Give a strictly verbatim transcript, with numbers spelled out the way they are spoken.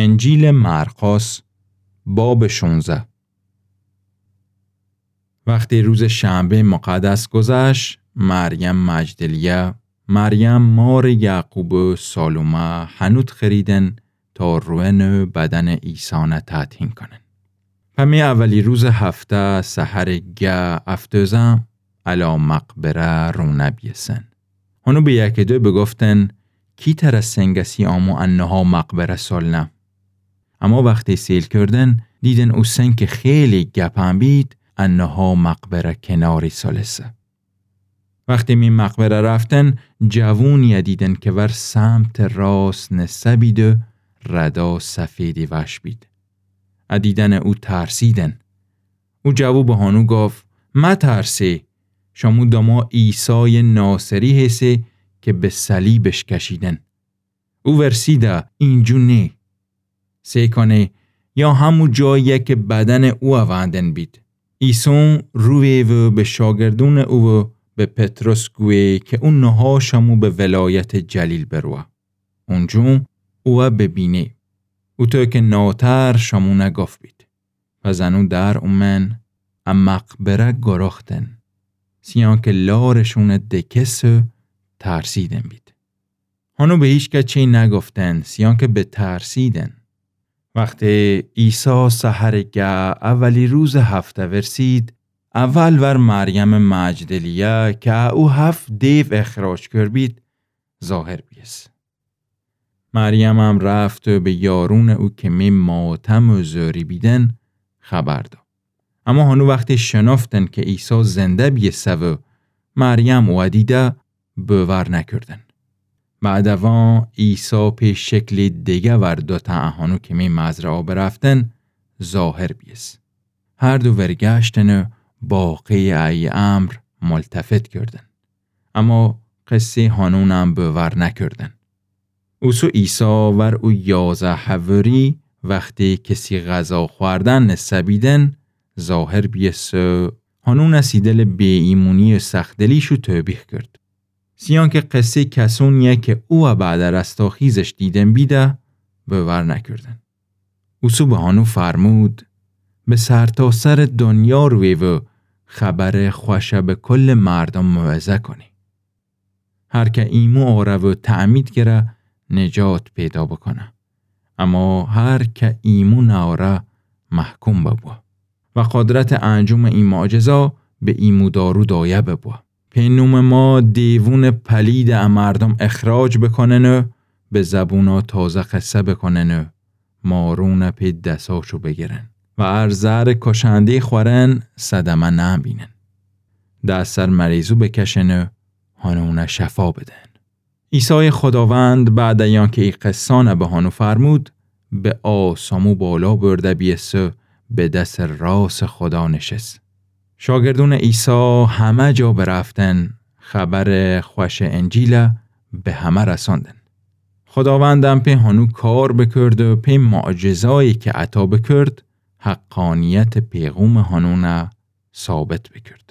انجیلٚ مرقس، بابٚ شونزده. وختی روزٚ شنبه‌یٚ مقدس گذشت، مریم مجدلیه، مریم مارٚ یعقوب و سالومه هنود خریدن تا روئن و بدنٚ عیسی نه تطهین کنن. پمی اولی روزٚ هفته سحرٚ گه افتوزه الا مقبره رونه بیسن. هنو به یکی دو بگفتن: کی تره سنگه سی آمو انها مقبره سالنه؟ اما وختی سیل کردن، دیدن او سنگ کی خیلی گپن بید، انها مقبره کناری سالسه. وختی می مقبره رفتن، جوونیه دیدن کی ور سمتٚ راست نسه بید و ردا سفیدی وش بید. ا دیدنٚ او ترسیدن. او جوو به هنو گفت: مترسی، شمو دما عیسایٚ ناصری هیسی کی به صلیبش کشیدن. او ورسیده، اینجو نی. سی کنی، یا همو جاییه کی بدنٚ اوه وندن بید. ایسون روی و به شاگردونٚ او و به پطرس گوی کی او نها شمو به ولایتٚ جلیل بروه. اونجون اوه ببینی. اوطو کی ناتر شمونه گفت بید. پس انو در اومن، ا مقبره گرختن. سیان کی لارشونه دکس و ترسیدن بید. هنو به هیچکس چی نگفتن، سیان کی بترسیدن. وختی عیسی سحرٚ گه اولی روزٚ هفته ورسید، اول ور مریمٚ مجدلیه کی او هفت دیو اخراج کرد بید، ظاهر بیس. مریمم رفت و به یارونٚ او کی می ماتم و زوری بیدن خبر دا. اما هنو وختی شنفتن کی عیسی زنده بیسه و مریم اوه دیده، بوور نکردن. بعد اوان عیسی پی شکلی دیگه ور دوتأ ا هنو کی می مزرعه برفتن ظاهر بیس. هر دو ورگشتن و باقی ای امر ملتفت کردن. اما قصه‌یٚ هنونم بوور نکردن. اوسو عیسی ور او یازه حواری وختی کسی غذا خوردن نسه بیدن ظاهر بیس و هنون سی دلٚ بی‌ایمونی و سخت‌دلیشو توبیخ کرد. سیان کی قصه‌یٚ کسونیه کی اوه بعد رستاخیزش دیدن بیده بوور نکردن. اوسو به هنو فرمود: به سرتاسرٚ دنیا روی و خبرٚ خوشه به کلٚ مردم موعظه کنی. هر کی ایمو آوره و تعمید گره نجات پیدا بکنه. اما هر کی ایمو ناوره محکوم ببو. و قدرتٚ انجامٚ ای معجزا به ایمودارو دایه ببو. پی نومٚ ما دیوونٚ پلیده ا مردم اخراج بکنن و به زبونا تازه قصه بکنن و مارونه پی دساشو بگیرن و ار زهرٚ کشنده‌یی خورن صدمه نبینن. دس ار مریضو بکشن و هنونه شفا بدن. عیسایٚ خداوند بعد ای آنکی ای قصانه به هنو فرمود، به آسمو بالا برده بیس و به دسٚ راستٚ خدا نشس. شاگردونٚ عیسی همه جا برفتن، خبرٚ خوشٚ انجیله به همه رساندن. خداوندم پی هنو کار بکرد و پی معجزایی کی عطا بکرد، حقانیتٚ پیغومٚ هنونه ثابت بکرد.